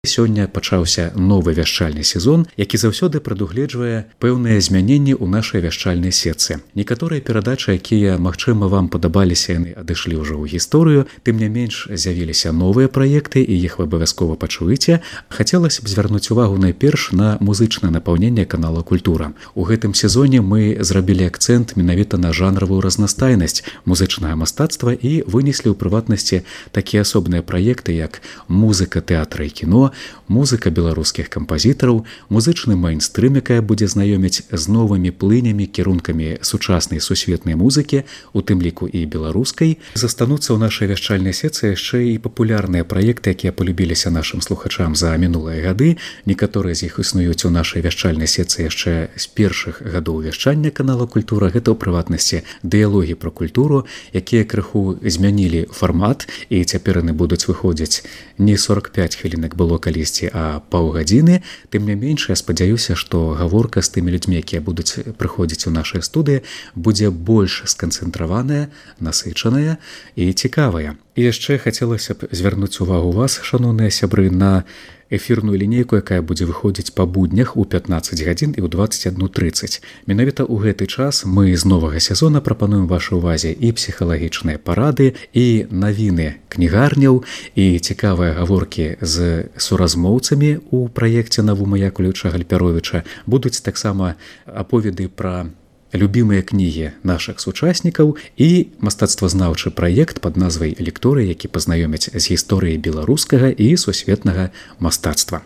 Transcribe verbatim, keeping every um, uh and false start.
Сёння пачаўся новы вяшчальны сезон, які заўсёды прадугледжвае пэўныя змяненні ў нашай вяшчальнай сетцы. Некаторыя перадачы, якія, магчыма, вам падабаліся, яны адышлі ўжо ў гісторыю, тым не менш з'явіліся новыя праекты, і іх вы абавязкова пачуеце. Хацелася б звярнуць увагу найперш на музычнае напаўненне канала Культура. У гэтым сезоне мы зрабілі акцэнт менавіта на жанравую разнастайнасць музычнага мастацтва і вынеслі ў прыватнасці такія асобныя праекты, як музыка тэатра і кіно, музыка беларускіх кампазітараў, музычны майнстрым, якая будзе знаёміць з новымі плынямі, кірункамі сучаснай сусветнай музыкі, у тым ліку і беларускай. Застануцца ў нашай вяшчальнай сетцы яшчэ і папулярныя праекты, якія полюбіліся нашым слухачам за мінулыя гады. Некаторыя з іх існуюць у нашай вяшчальнай сетцы яшчэ з першых гадоў вяшчання канала Культура. Гэта ў прыватнасці дыялогі пра культуру, якія крыху змянілі фармат, і цяпер яны будуць выходзіць не сорок пяць хвілін, як было калісьці, а паўгадзіны. Тым не менш, я спадзяюся, што гаворка з тымі людзьмі, якія будуць прыходзіць у нашай студыі, будзе больш сканцэнтраваная, насычаная і цікавая. І яшчэ хацелася б звярнуць увагу вас, шаноўныя сябры, на эфірную лінейку, якая будзе выходзіць па буднях у пятнаццаць гадзін і ў дваццаць адну трыццаць. Менавіта ў гэты час мы з новага сезона прапануем вашай увазе і псіхалагічныя парады, і навіны кнігарняў, і цікавыя гаворкі з суразмоўцамі ў праекце «Навума Яковлевича Гальпяровича». Будуць таксама аповеды пра любімыя кнігі нашых сучаснікаў і мастацтвазнаўчы праект пад назвай «Лекторы», які пазнаёмяць з гісторыяй беларускага і сусветнага мастацтва.